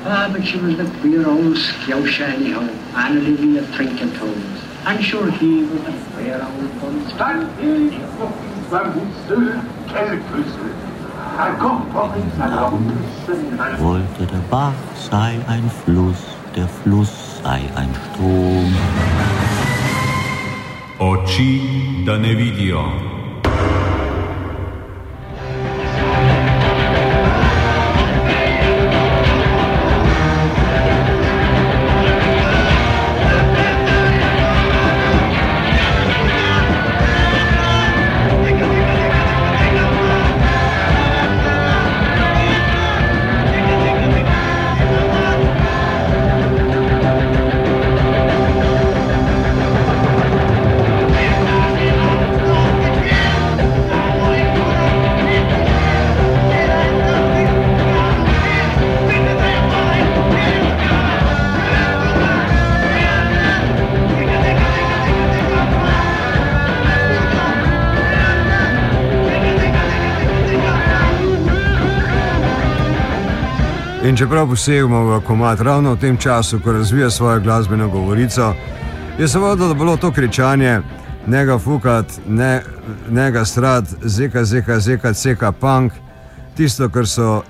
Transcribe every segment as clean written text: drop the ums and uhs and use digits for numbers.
But she was the queer old scousha anyhow, and Olivia drinking toes. I'm sure he was a queer old bun. Stand here, fucking Bambusel, Kellerküssel. Wollte der Bach sei ein Fluss, der Fluss sei ein Strom. Oči, da ne vidijo. In čeprav posegamo v komad ravno v tem času, ko razvija svojo glasbeno govorico, je seveda bilo to kričanje nega fukat, nega strat, zeka punk, tisto, kar so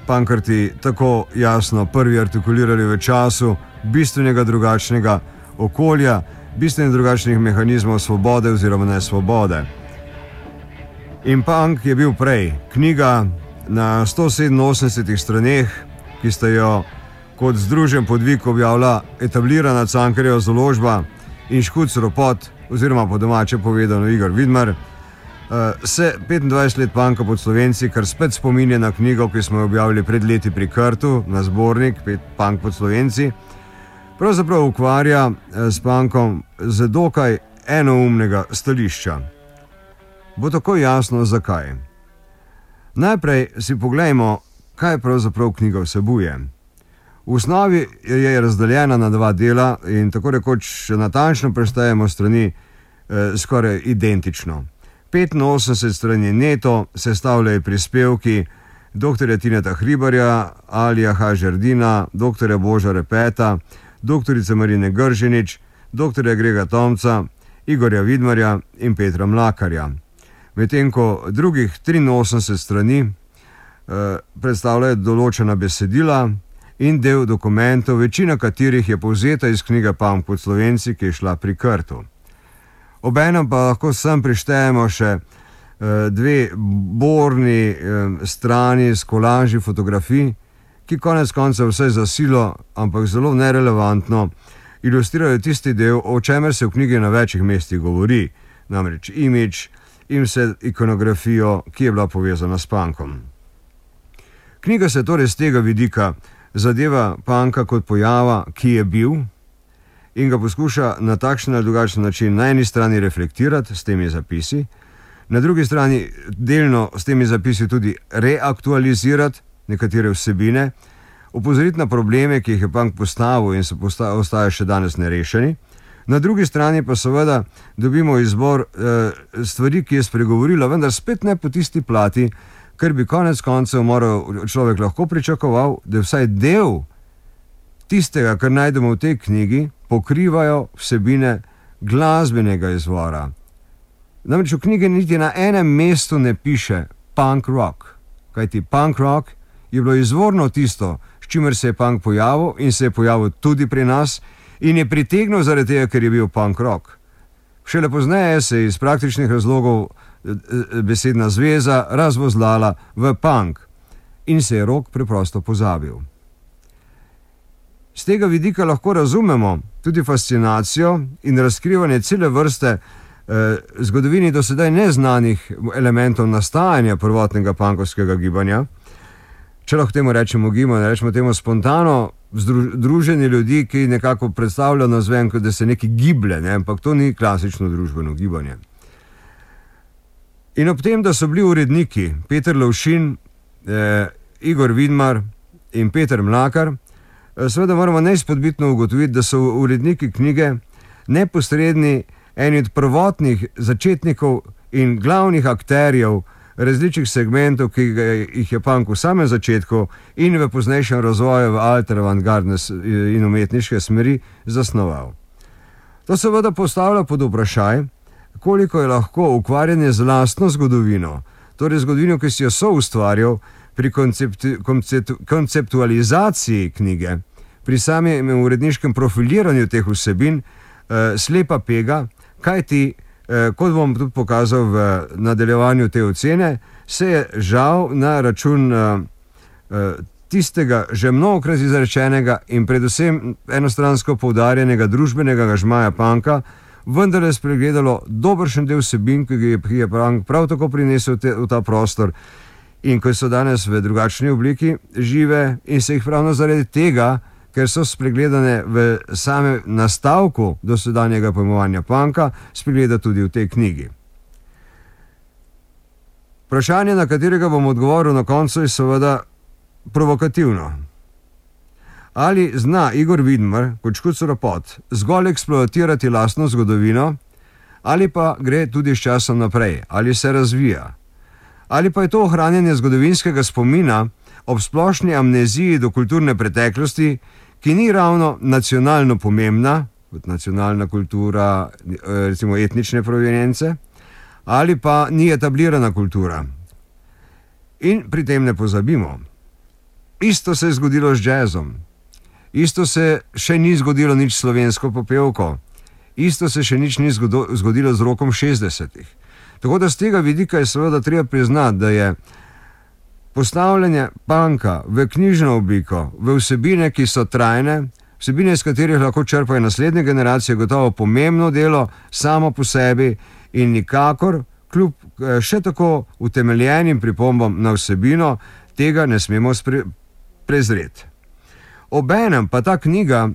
punkarti tako jasno prvi artikulirali v času bistvenega drugačnega okolja, bistveno drugačnih mehanizmov svobode oziroma nesvobode. In punk je bil prej knjiga na 187 straneh, ki sta jo kot združen podvig objavila etablirana Cankarjeva založba in Škuc Ropot, oziroma po domače povedano Igor Vidmar, se 25 let punka pod Slovenci, kar spet spominja na knjigo, ki smo jo objavili pred leti pri Krtu, na zbornik Punk pod Slovenci, pravzaprav ukvarja s punkom z dokaj enoumnega stališča. Bo tako jasno, zakaj. Najprej si poglejmo, kaj pravzaprav knjiga vsebuje. V osnovi je razdeljena na dva dela in tako rekoč natančno prestajamo strani skoraj identično. 85 strani neto sestavljajo prispevki dr. Tineta Hribarja, Alija H. Žerdina, dr. Boža Repeta, dr. Marine Gržinič, dr. Grega Tomca, Igorja Vidmarja in Petra Mlakarja. Medtem ko drugih 83 strani predstavljajo določena besedila in del dokumentov, večina katerih je povzeta iz knjige Punk pod Slovenci, ki je šla pri Krtu. Obenem pa lahko sem prištejemo še dve borni strani s kolaži fotografij, ki konec koncev vse za silo, ampak zelo nerelevantno, ilustrirajo tisti del, o čemer se v knjigi na večjih mestih govori, namreč imidž in vse ikonografijo, ki je bila povezana s punkom. Knjiga se torej z tega vidika zadeva punka kot pojava, ki je bil, in ga poskuša na takšen ali drugačen način na eni strani reflektirati s temi zapisi, na drugi strani delno s temi zapisi tudi reaktualizirati nekatere vsebine, opozoriti na probleme, ki jih je punk postavil in se ostajajo še danes nerešeni, na drugi strani pa seveda dobimo izbor stvari, ki je spregovorila, vendar spet ne po tisti plati, ker bi konec koncev moral človek lahko pričakoval, da vsaj del tistega, kar najdemo v tej knjigi, pokrivajo vsebine glasbenega izvora. Namreč v knjigi niti na enem mestu ne piše punk rock, kajti punk rock je bilo izvorno tisto, s čimer se je punk pojavil in se je pojavil tudi pri nas in je pritegnil zaradi tega, ker je bil punk rock. Šele pozneje se je iz praktičnih razlogov besedna zveza razvozlala v punk in se je rock preprosto pozabil. Z tega vidika lahko razumemo tudi fascinacijo in razkrivanje cele vrste zgodovini do sedaj neznanih elementov nastajanja prvotnega punkovskega gibanja. Če lahko temu rečemo gibanje, rečemo temu spontano združenje ljudi, ki nekako predstavljajo navzven, kot da se nekaj giblje, ampak to ni klasično družbeno gibanje. In ob tem, da so bili uredniki Peter Lovšin, Igor Vidmar in Peter Mlakar, seveda moramo neizpodbitno ugotoviti, da so uredniki knjige neposredni eni od prvotnih začetnikov in glavnih akterjev različnih segmentov, ki jih je punk v samem začetku in v poznejšem razvoju v alter avantgardne in umetniške smeri zasnoval. To seveda postavlja pod vprašaj, koliko je lahko ukvarjanje z lastno zgodovino, torej zgodovino, ki si jo soustvarjal pri konceptualizaciji knjige, pri samem uredniškem profiliranju teh vsebin, slepa pega, kajti, kot bom tudi pokazal v nadaljevanju te ocene, se je žal na račun tistega že mnogokrat izrečenega in predvsem enostransko poudarjenega družbenega angažmaja punka vendarle spregledalo dobršen del vsebin, ki je punk prav tako prinesel v ta prostor in ko so danes v drugačni obliki žive in se jih ravno zaradi tega, ker so spregledane v samem nastavku dosedanjega pojmovanja punka, spregleda tudi v tej knjigi. Vprašanje, na katerega bom odgovoril na koncu, je seveda provokativno. Ali zna Igor Vidmar, kot Škuc Ropot, zgolj eksploatirati lastno zgodovino, ali pa gre tudi s časom naprej, ali se razvija? Ali pa je to ohranjanje zgodovinskega spomina ob splošni amneziji do kulturne preteklosti, ki ni ravno nacionalno pomembna, kot nacionalna kultura, recimo etnične provenience, ali pa ni etablirana kultura. In pri tem ne pozabimo. Isto se je zgodilo z džezom. Isto se še ni zgodilo nič s slovensko popevko. Isto se še nič ni zgodilo z rokom 60-ih. Tako da z tega vidika je seveda treba priznati, da je postavljanje punka v knjižno obliko, v vsebine, ki so trajne, vsebine, iz katerih lahko črpajo naslednje generacije, gotovo pomembno delo samo po sebi in nikakor, kljub še tako utemeljenim pripombam na vsebino, tega ne smemo prezreti. Obenem pa ta knjiga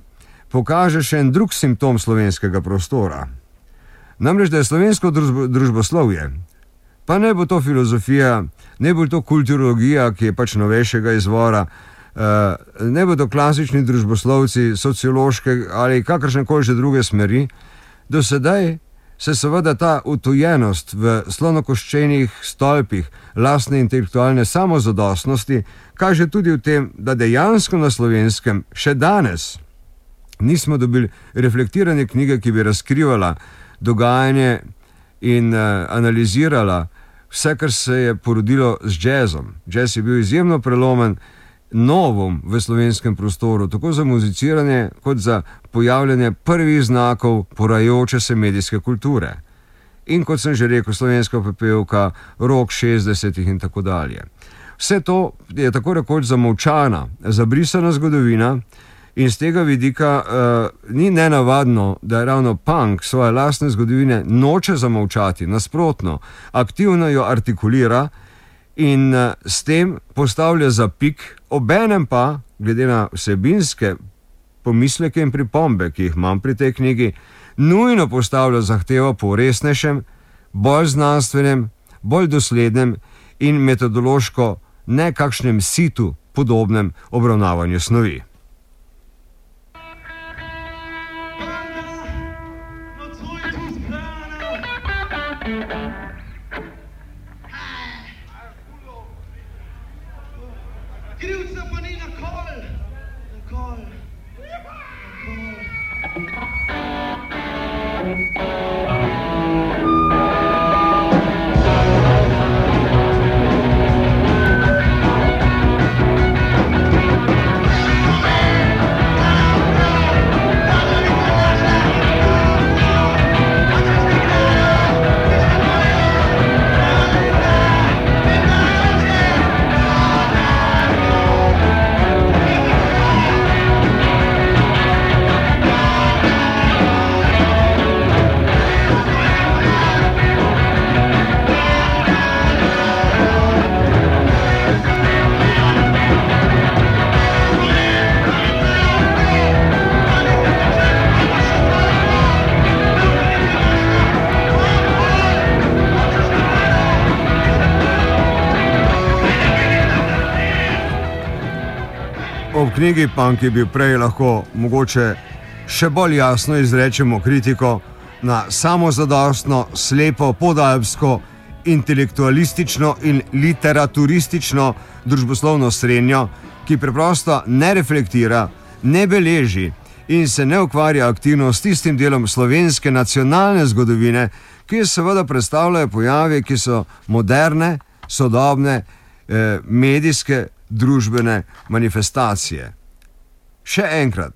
pokaže še en drug simptom slovenskega prostora. Namreč, da je slovensko družboslovje, pa ne bo to filozofija, ne bo to kulturologija, ki je pač novejšega izvora, ne bo to klasični družboslovci, sociološke ali kakršnekoli že druge smeri, do sedaj se seveda ta utojenost v slonokoščenih stolpih lastne intelektualne samozadostnosti kaže tudi v tem, da dejansko na Slovenskem še danes nismo dobili reflektirane knjige, ki bi razkrivala dogajanje in analizirala vse, kar se je porodilo z džezom. Džez je bil izjemno prelomen novum v slovenskem prostoru, tako za muziciranje, kot za pojavljanje prvih znakov porajajoče se medijske kulture. In kot sem že rekel, slovenska popevka, rok 60-ih in tako dalje. Vse to je tako rekoč zamolčana, zabrisana zgodovina in z tega vidika ni nenavadno, da je ravno punk svoje lastne zgodovine noče zamolčati, nasprotno, aktivno jo artikulira in s tem postavlja zapik, obenem pa, glede na vsebinske pomisleke in pripombe, ki jih imam pri tej knjigi, nujno postavlja zahtevo po resnejšem, bolj znanstvenem, bolj doslednem in metodološko nekakšnem situ podobnem obravnavanju snovi. Ob knjigi Punk je bil prej lahko mogoče še bolj jasno izrečemo kritiko na samozadostno, slepo, podalpsko intelektualistično in literaturistično družboslovno srenjo, ki preprosto ne reflektira, ne beleži in se ne ukvarja aktivno s tistim delom slovenske nacionalne zgodovine, ki seveda predstavljajo pojavi, ki so moderne, sodobne, medijske, družbene manifestacije. Še enkrat,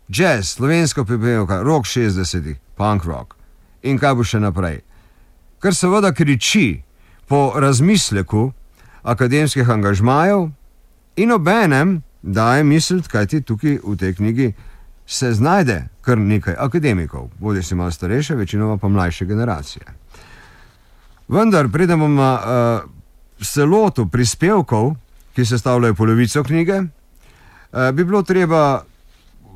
jazz, slovenska pepelka, rock 60-ih, punk rock in kaj bo še naprej. Kar seveda kriči po razmisleku akademskih angažmajev in obenem daje misliti, kajti tukaj v tej knjigi se znajde kar nekaj akademikov, bodi si malo starejše, večinoma pa mlajše generacije. Vendar, preden bomo se lotil prispevkov, ki sestavljajo polovico knjige, bi bilo treba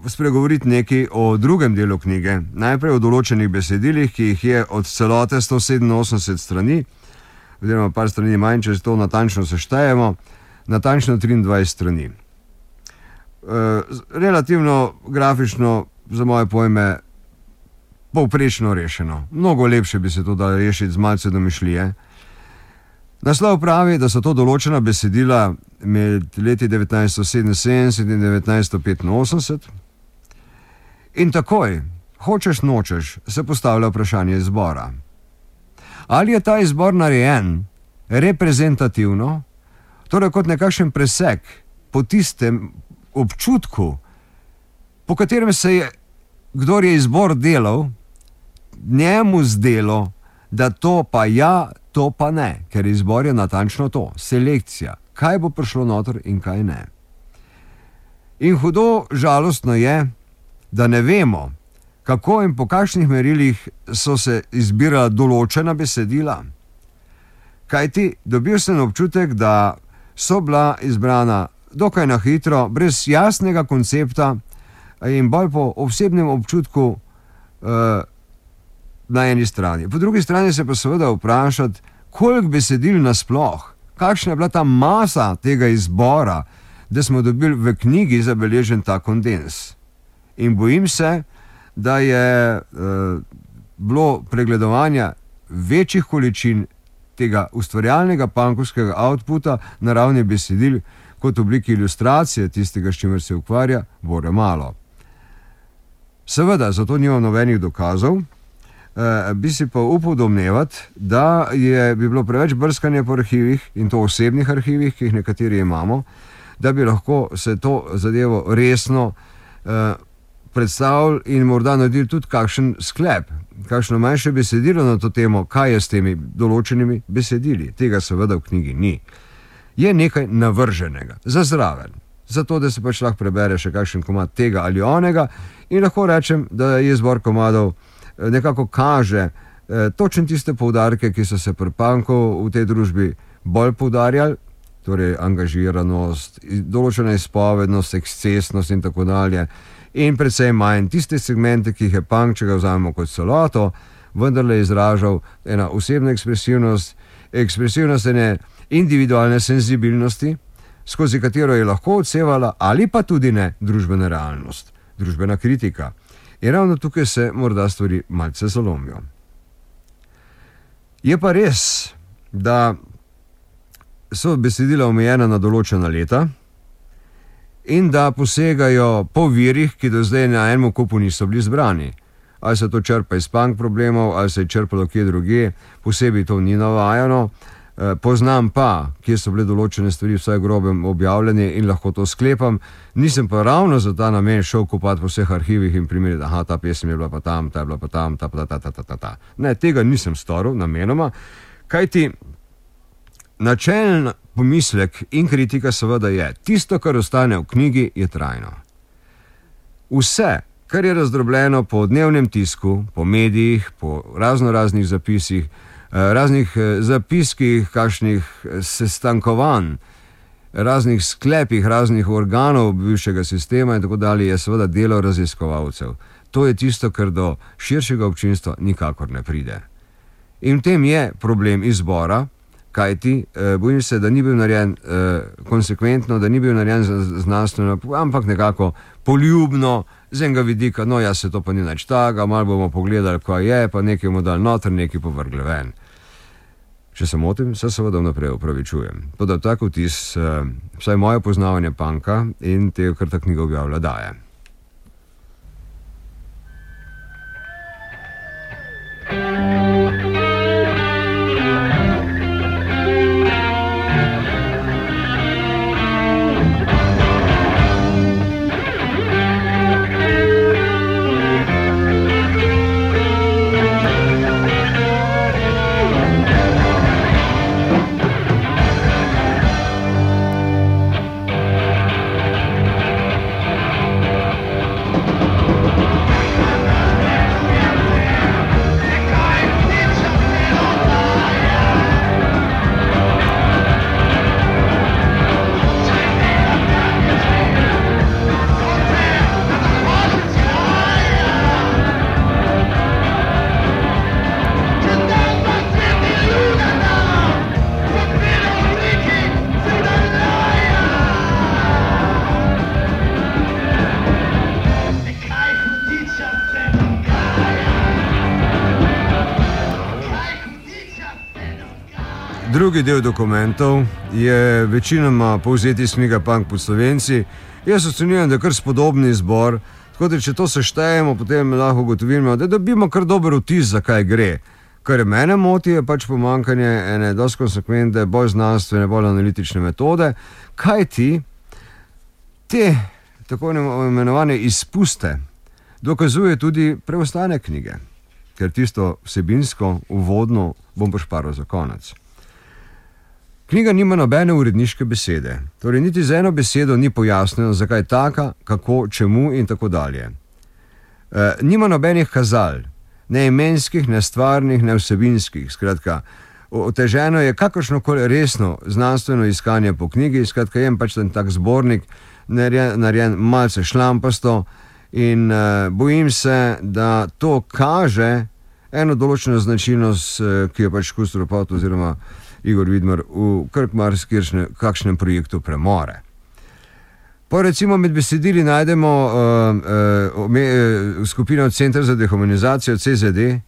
spregovoriti nekaj o drugem delu knjige, najprej o določenih besedilih, ki jih je od celote 187 strani, oziroma par strani manj, če to natančno seštejemo, natančno 23 strani. Relativno grafično, za moje pojme, povprečno rešeno. Mnogo lepše bi se to dalo rešiti z malce domišljije. Naslov pravi, da so to določena besedila med leti 1977 in 1985 in takoj, hočeš nočeš, se postavlja vprašanje izbora. Ali je ta izbor narejen reprezentativno, torej kot nekakšen presek po tistem občutku, po katerem se je, kdor je izbor delal, njemu zdelo, da to pa ja, to pa ne, ker izbor je natančno to, selekcija, kaj bo prišlo noter in kaj ne. In hudo žalostno je, da ne vemo, kako in po kakšnih merilih so se izbirala določena besedila. Kajti dobil sem občutek, da so bila izbrana dokaj na hitro, brez jasnega koncepta in bolj po osebnem občutku na eni strani. Po drugi strani se pa seveda vprašati, koliko besedil nasploh, kakšna je bila ta masa tega izbora, da smo dobili v knjigi zabeležen ta kondens. In bojim se, da je bilo pregledovanja večjih količin tega ustvarjalnega punkovskega outputa na ravni besedil kot obliki ilustracije tistega, s čimer se ukvarja, bore malo. Seveda, zato nimam nobenih dokazov, bi si pa upal domnevati, da bi bilo preveč brskanja po arhivih, in to osebnih arhivih, ki jih nekateri imamo, da bi lahko se to zadevo resno predstavili in morda naredili tudi kakšen sklep, kakšno manjše besedilo na to temo, kaj je s temi določenimi besedili. Tega seveda v knjigi ni. Je nekaj navrženega, za zraven, zato da se pač lahko prebere še kakšen komad tega ali onega in lahko rečem, da je izbor komadov nekako kaže točno tiste poudarke, ki so se pri punku v tej družbi bolj poudarjali, torej angažiranost, določena izpovednost, ekscesnost in tako dalje, in predvsem manj tiste segmente, ki jih je punk, če ga vzamemo kot celoto, vendarle izražal ena osebna ekspresivnost ene individualne senzibilnosti, skozi katero je lahko odsevala ali pa tudi ne družbena realnost, družbena kritika. In ravno tukaj se morda stvari malce zalomijo. Je pa res, da so besedila omejena na določena leta in da posegajo po virih, ki do zdaj na enem kupu niso bili zbrani. Ali se to črpa iz punk problemov, ali se je črpalo kje drugje, posebej to ni navajano. Poznam pa, kje so bile določene stvari vsaj grobem objavljene in lahko to sklepam. Nisem pa ravno za ta namen šel kopati po vseh arhivih in primeriti, aha, ta pesem je bila pa tam, ta je bila pa tam, ta pa ta. Ne, tega nisem storil namenoma, kajti načeljen pomislek in kritika seveda je, tisto, kar ostane v knjigi, je trajno. Vse, kar je razdrobljeno po dnevnem tisku, po medijih, po raznoraznih zapisih, raznih zapiskih, kakšnih sestankovanj, raznih sklepih, raznih organov bivšega sistema in tako dalje, je seveda delo raziskovalcev. To je tisto, kar do širšega občinstva nikakor ne pride. In v tem je problem izbora, kajti bojim se, da ni bil narejen konsekventno, da ni bil narejen znanstveno, ampak nekako poljubno, z enega vidika, no ja, se to pa ni nič takega, malo bomo pogledali, kaj je, pa nekaj bomo dali noter, nekaj povrgli ven. Če se motim, se seveda vnaprej opravičujem. Toda tak vtis, vsaj moje poznavanje punka in tega, kar ta knjiga objavlja, daje. Drugi del dokumentov je večinoma povzeti iz knjige Punk pod Slovenci. Jaz ocenjujem, da je kar spodobni zbor, tako da če to seštejemo, potem lahko ugotovimo, da dobimo kar dober vtis, zakaj gre. Kar mene moti, je pač pomanjkanje ene dosti konsekventne, bolj znanstvene, bolj analitične metode, kaj ti te tako imenovane izpuste dokazuje tudi preostane knjige, ker tisto vsebinsko, uvodno bom pošparil za konec. Knjiga nima nobene uredniške besede, torej niti z eno besedo ni pojasnjeno, zakaj taka, kako, čemu in tako dalje. Nima nobenih kazal, ne imenskih, ne stvarnih, ne vsebinskih, skratka, oteženo je kakršnokoli resno znanstveno iskanje po knjigi, skratka, je pač ten tak zbornik, narejen malce šlampasto in bojim se, da to kaže eno določeno značilnost, ki je pač Kustorpot oziroma Igor Vidmar v kakšnem projektu premore. Po recimo med besedili najdemo skupino Center za dehumanizacijo CZD,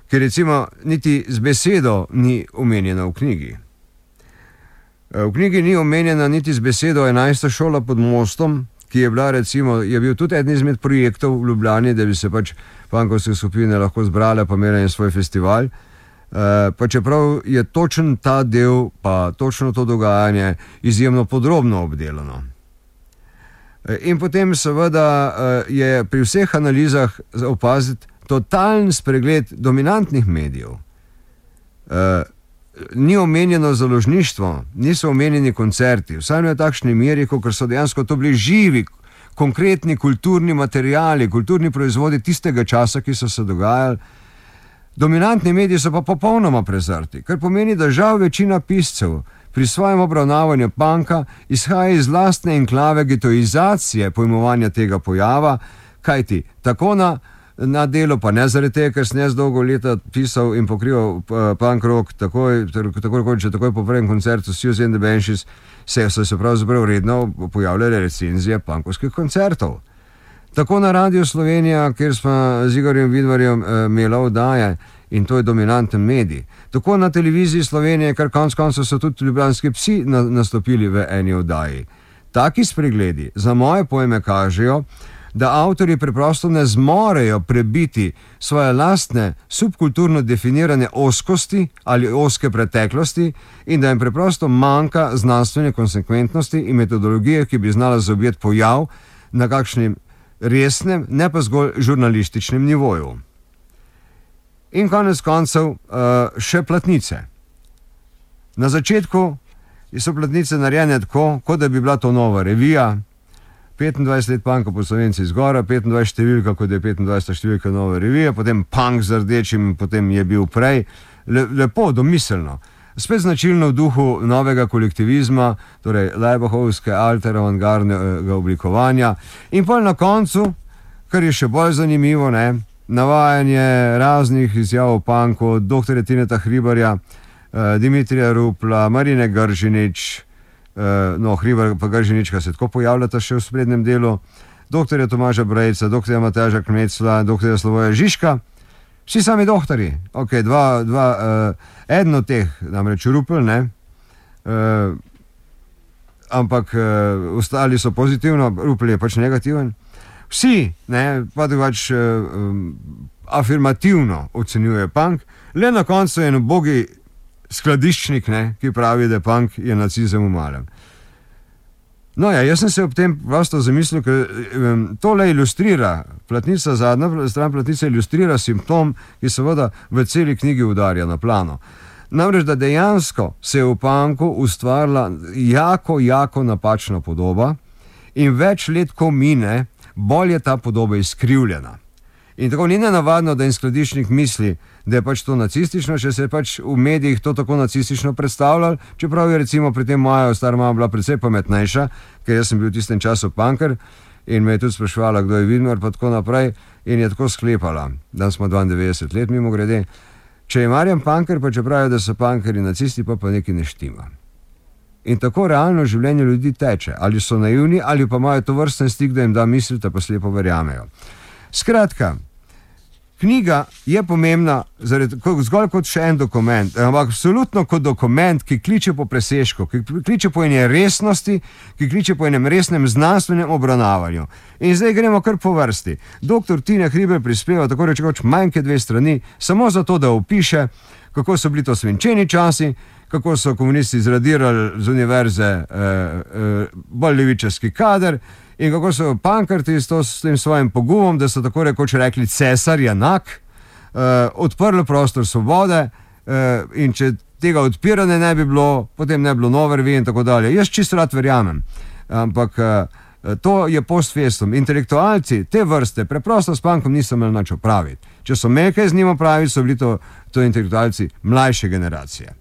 ki recimo niti z besedo ni omenjena v knjigi. V knjigi ni omenjena niti z besedo 11. šola pod mostom, ki je bila recimo, je bil tudi eden izmed projektov v Ljubljani, da bi se pač punkovske skupine lahko zbrale pa imele svoj festival. Pa čeprav je točen ta del, pa točno to dogajanje izjemno podrobno obdelano. In potem seveda je pri vseh analizah opaziti totalen spregled dominantnih medijev. Ni omenjeno založništvo, niso omenjeni koncerti, vsaj ne v takšni meri, kot so dejansko to bili živi, konkretni kulturni materiali, kulturni proizvodi tistega časa, ki so se dogajali. Dominantni mediji so pa popolnoma prezrti, kar pomeni, da žal večina piscev pri svojem obravnavanju punka izhaja iz lastne enklave getoizacije pojmovanja tega pojava, kajti tako na delu, pa ne zaradi tega, ker sem jaz dolgo leta pisal in pokrival punk rock, takoj po prvem koncertu Susie and the Banshees so se pravzaprav redno pojavljale recenzije punkovskih koncertov. Tako na Radio Slovenija, kjer smo z Igorjem Vidmarjem imeli oddaje, in to je dominanten medij. Tako na Televiziji Slovenije, kar konec koncev so tudi ljubljanski psi nastopili v eni oddaji. Taki spregledi za moje pojme kažejo, da avtorji preprosto ne zmorejo prebiti svoje lastne subkulturno definirane ozkosti ali ozke preteklosti in da jim preprosto manjka znanstvene konsekventnosti in metodologije, ki bi znala zaobjeti pojav na kakšnem resnem, ne pa zgolj žurnalističnem nivoju. In konec koncev še platnice. Na začetku so platnice narejene tako, kot da bi bila to nova revija, 25 let punka po Slovenci zgora, 25 številka, kot je 25 številka nove revije, potem punk z rdečim, potem je bil prej, lepo, domiselno. Spet značilno v duhu novega kolektivizma, torej Leibahovske, alter avantgardnega oblikovanja. In pol na koncu, kar je še bolj zanimivo, navajanje raznih izjav o punku, dr. Tineta Hribarja, Dimitrija Rupla, Marine Gržinič, Hribar pa Gržinička se tako pojavljata še v sprednjem delu, dr. Tomaža Brejca, dr. Mateža Kmecla, dr. Slavoja Žižka. Vsi sami doktori, okay, eden od teh, namreč Rupel, ne, ampak ostali so pozitivno, Rupel je pač negativen. Vsi pač afirmativno ocenjuje punk, le na koncu je en ubogi skladiščnik, ki pravi, da punk je nacizem v malem. No ja, jaz sem se ob tem prosto zamislil, ker tole ilustrira, zadnja stran platnice ilustrira simptom, ki seveda v celi knjigi udarja na plano. Namreč, da dejansko se je v punku ustvarila jako napačna podoba in več let, ko mine, bolj je ta podoba izkrivljena. In tako ni nenavadno, da en skladiščnik misli, da je pač to nacistično, če se je pač v medijih to tako nacistično predstavljal, čeprav je recimo pri tem moja stara mama bila precej pametnejša, ker jaz sem bil v tistem času punker in me je tudi spraševala, kdo je Vidmar, pa tako naprej, in je tako sklepala, da smo 92 let mimo grede, če je Marjan punker, pa če pravijo, da so punkeri nacisti, pa nekaj ne štima. In tako realno življenje ljudi teče, ali so naivni, ali pa imajo to vrsten stik, da jim da misliti, pa slepo verjamejo. Skratka, knjiga je pomembna zgolj kot še en dokument, ampak absolutno kot dokument, ki kliče po presežku, ki kliče po eni resnosti, ki kliče po enem resnem znanstvenem obravnavanju. In zdaj gremo kar po vrsti. Dr. Tine Hribar prispeva tako rekoč manj kot 2 strani, samo zato, da opiše, kako so bili to svinčeni časi, kako so komunisti zradirali z univerze bolj levičarski kader in kako so pankrti s tem svojim pogumom, da so tako rekoč rekli cesar je enak, odprli prostor svobode in če tega odpiranja ne bi bilo, potem ne bi bilo nove revije in tako dalje. Jaz čisto rad verjamem, ampak to je post festum. Intelektualci te vrste preprosto s punkom niso imeli nič opraviti. Če so imeli kaj z njim opraviti, so bili to intelektualci mlajše generacije.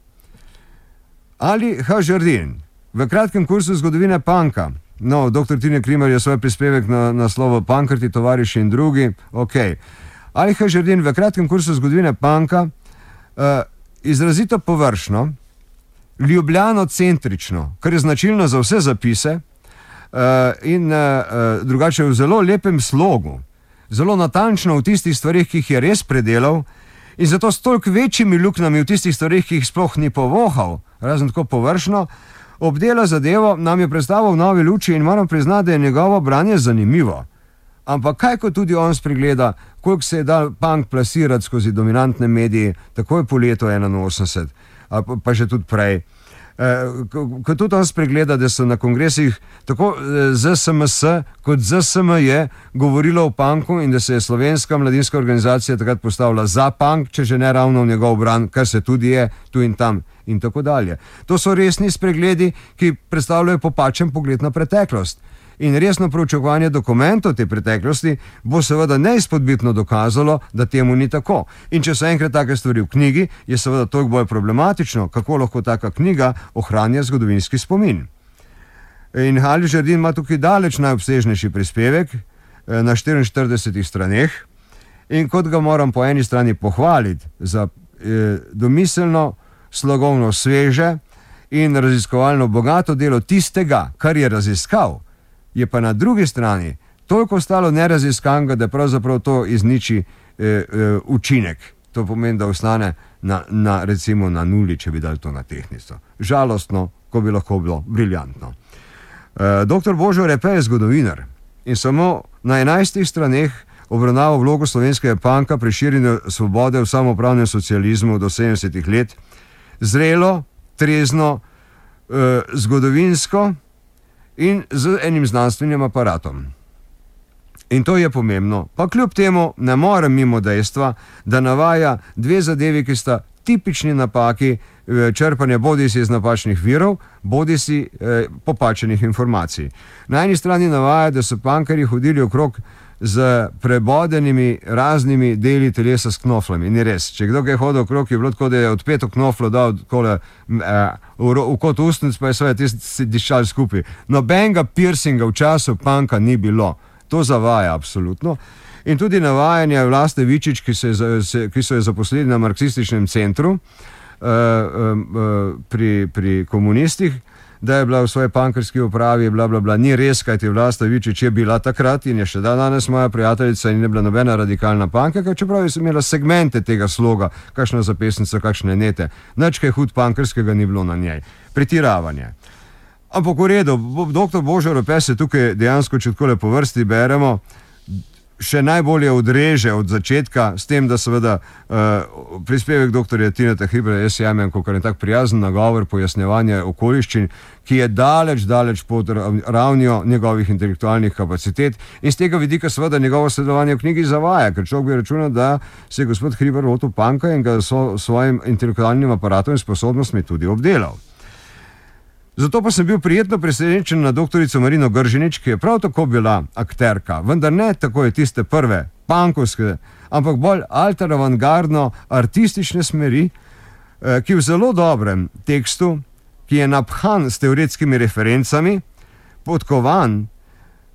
Ali H. Žerdin, v kratkem kursu zgodovine punka, no, dr. Tine Hribar je svoj prispevek na naslovu Punkerti, tovariši in drugi, ok. Ali H. Žerdin v kratkem kursu zgodovine punka izrazito površno, ljubljanocentrično, kar je značilno za vse zapise, in drugače v zelo lepem slogu, zelo natančno v tistih stvarih, ki jih je res predelal, in zato s toliko večjimi luknjami v tistih stvarih, ki jih sploh ni povohal, razen tako površno, obdela zadevo, nam je predstavil v novi luči in moram priznati, da je njegovo branje zanimivo. Ampak kaj ko tudi on spregleda, koliko se je dal punk plasirati skozi dominantne medije, takoj po letu 81, pa še tudi prej. Ko tudi on spregleda, da so na kongresih tako ZSMS kot ZSMJ govorilo o punku in da se je slovenska mladinska organizacija takrat postavila za punk, če že ne ravno v njegov bran, kar se tudi je tu in tam in tako dalje. To so resni spregledi, ki predstavljajo popačen pogled na preteklost. In resno proučevanje dokumentov te preteklosti bo seveda neizpodbitno dokazalo, da temu ni tako. In če so enkrat take stvari v knjigi, je seveda toliko bolj problematično, kako lahko taka knjiga ohranja zgodovinski spomin. In H. Žerdin ima tukaj daleč najobsežnejši prispevek na 44 straneh in kot ga moram po eni strani pohvaliti za domiselno, slogovno sveže in raziskovalno bogato delo tistega, kar je raziskal, je pa na drugi strani toliko ostalo neraziskanega, da pravzaprav to izniči učinek. To pomeni, da ostane recimo na nuli, če bi dali to na tehtnico. Žalostno, ko bi lahko bilo briljantno. Dr. Božo Repe je zgodovinar in samo na 11 straneh obravnava vlogo slovenskega punka pri širjenju svobode v samoupravnem socializmu do 70 let, zrelo, trezno, zgodovinsko in z enim znanstvenim aparatom. In to je pomembno. Pa kljub temu ne morem mimo dejstva, da navaja 2 zadevi, ki sta tipični napaki črpanja bodisi iz napačnih virov, bodisi popačenih informacij. Na eni strani navaja, da so punkerji hodili okrog z prebodenimi raznimi deli telesa s knoflami. Ni res. Če kdo je hodil okrog, je bilo tako, da je odpeto knoflo dal v kot ustnic, pa je svoje tisti diščal skupaj. Nobenega piercinga v času punka ni bilo. To zavaja absolutno. In tudi navajanje Vlaste Vičič, ki so jo zaposlili na marksističnem centru pri komunistih, da je bila v svoji punkerski upravi, bla, bla, bla. Ni res, kajti Vlasta Vičič je bila takrat in je še danes moja prijateljica in je bila nobena radikalna punkerka, čeprav je imela segmente tega sloga, kakšna zapestnica, kakšne nete. Nič kaj hud punkerskega ni bilo na njej. Pretiravanje. Ampak v redu, dr. Božo Rope se tukaj dejansko, če tako po vrsti beremo, še najbolje odreže od začetka, s tem, da seveda prispevek dr. Tineta Hribra, jaz jemem kot je tak prijazen nagovor, pojasnjevanje okoliščin, ki je daleč pod ravnjo njegovih intelektualnih kapacitet in z tega vidika seveda njegovo sodelovanje v knjigi zavaja, ker človek bi računal, da se je gospod Hribar lotil panka in ga svojim intelektualnim aparatom in sposobnostmi tudi obdelal. Zato pa sem bil prijetno presenečen na doktorico Marino Gržinič, ki je prav tako bila akterka, vendar ne tako je tiste prve, pankovske, ampak bolj alter-avantgardno artistične smeri, ki v zelo dobrem tekstu, ki je naphan s teoretskimi referencami, podkovan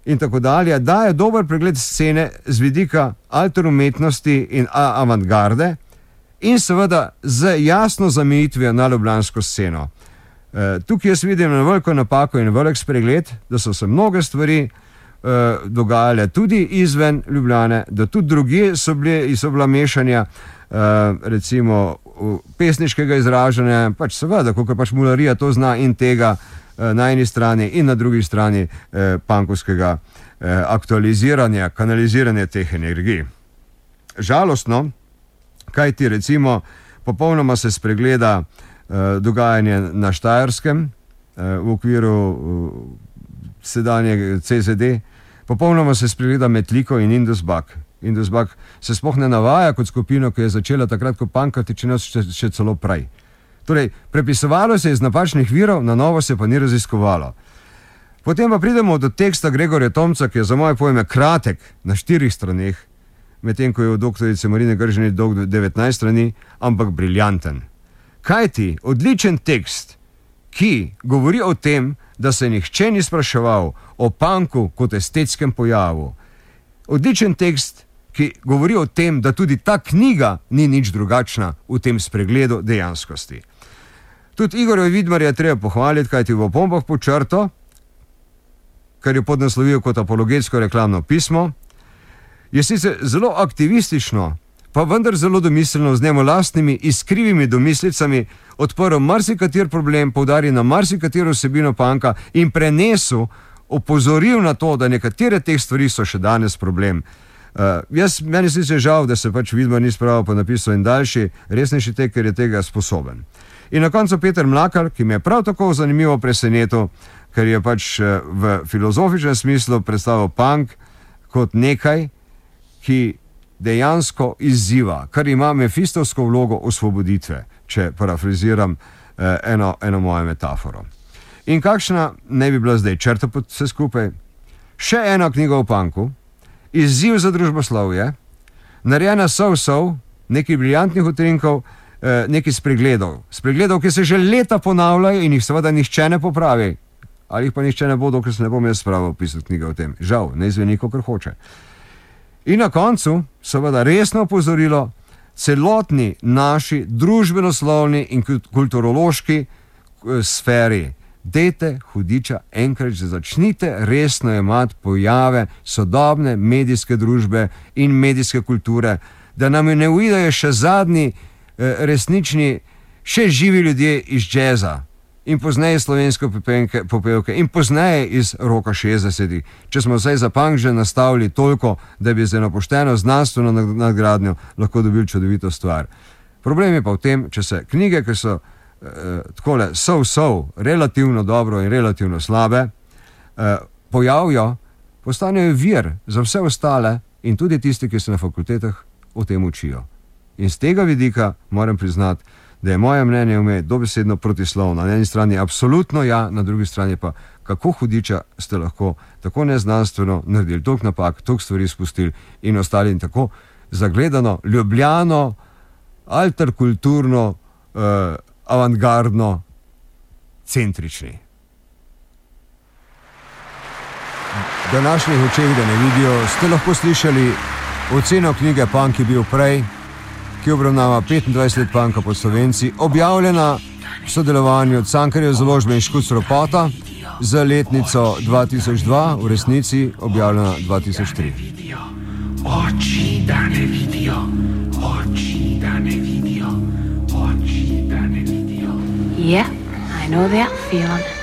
in tako dalje, daje dober pregled scene z vidika alter-umetnosti in avantgarde in seveda z jasno zamejitvijo na ljubljansko sceno. Tukaj jaz vidim na veliko napako in velik spregled, da so se mnoge stvari dogajale tudi izven Ljubljane, da tudi drugje so bila mešanja, recimo pesniškega izražanja, pač seveda, kako pač mularija to zna in tega na eni strani in na drugi strani pankovskega aktualiziranja, kanaliziranja teh energij. Žalostno, kaj ti recimo popolnoma se spregleda dogajanje na Štajerskem v okviru sedanje CZD, popolnoma se spregleda Metliko in Indusbak. Indusbak se sploh ne navaja kot skupino, ki je začela takrat, ko pankati, če ne še celo prej. Torej, prepisovalo se je iz napačnih virov, na novo se pa ni raziskovalo. Potem pa pridemo do teksta Gregorja Tomca, ki je za moje pojme kratek na 4 straneh, medtem ko je od doktorice Marine Gržinič dolg 19 strani, ampak briljanten. Kaj ti, odličen tekst, ki govori o tem, da se nihče ni spraševal o panku kot estetskem pojavu. Odličen tekst, ki govori o tem, da tudi ta knjiga ni nič drugačna v tem spregledu dejanskosti. Tudi Igorja Vidmarja treba pohvaliti, kaj ti v opombah pod črto, kar je podnaslovil kot apologetsko reklamno pismo, je sicer zelo aktivistično, pa vendar zelo domiselno z njemu lastnimi iskrivimi domislicami odprl marsikater problem, poudaril na marsikatero vsebino panka in prenesel, opozoril na to, da nekatere teh stvari so še danes problem. Meni sicer žal, da se pač Vidmar ni spravil pa napisal en daljši, resnejši tek, ker je tega sposoben. In na koncu Peter Mlakar, ki me je prav tako zanimivo presenetil, ker je pač v filozofičnem smislu predstavil pank kot nekaj, ki dejansko izziva, kar ima mefistovsko vlogo osvoboditve, če parafraziram eno mojo metaforo. In kakšna ne bi bila zdaj črta pod vse skupaj? Še ena knjiga o panku, izziv za družboslovje, narejena sov, nekaj briljantnih utrinkov, nekaj spregledov, ki se že leta ponavljajo in jih seveda nihče ne popravi. Ali jih pa nihče ne bo, dokler se ne bom jaz spravil pisati knjige o tem. Žal, ne izveni, kakor hoče. In na koncu, seveda resno opozorilo, celotni naši družbenoslovni in kulturološki sferi. Dajte, hudiča, enkrat že začnite resno jemati pojave sodobne medijske družbe in medijske kulture, da nam ne uidejo še zadnji resnični, še živi ljudje iz džeza in pozneje slovenske popevke in pozneje iz roka 60-ih, če smo vsaj za punk že nastavili toliko, da bi za eno pošteno znanstveno nadgradnjo lahko dobili čudovito stvar. Problem je pa v tem, če se knjige, ki so takole relativno dobro in relativno slabe, pojavijo, postanejo vir za vse ostale in tudi tisti, ki se na fakultetah o tem učijo. In z tega vidika moram priznati, da je moje mnenje vme dobesedno protislovno. Na eni strani absolutno ja, na drugi strani pa kako hudiča ste lahko tako neznanstveno naredili, toliko napak, toliko stvari spustili in ostali in tako zagledano, ljubljano, alterkulturno, avantgardno, centrični. Današnjih očeh, da ne vidijo, ste lahko slišali oceno knjige Punk je bil prej, ki obravnava 25 let punka pod Slovenci, objavljena v sodelovanju Cankarjeve založbe in Škuc Ropota za letnico 2002, v resnici objavljena 2003. Oči, da ne vidijo, oči, da ne vidijo, oči, da ne vidijo. Yeah, I know that feeling.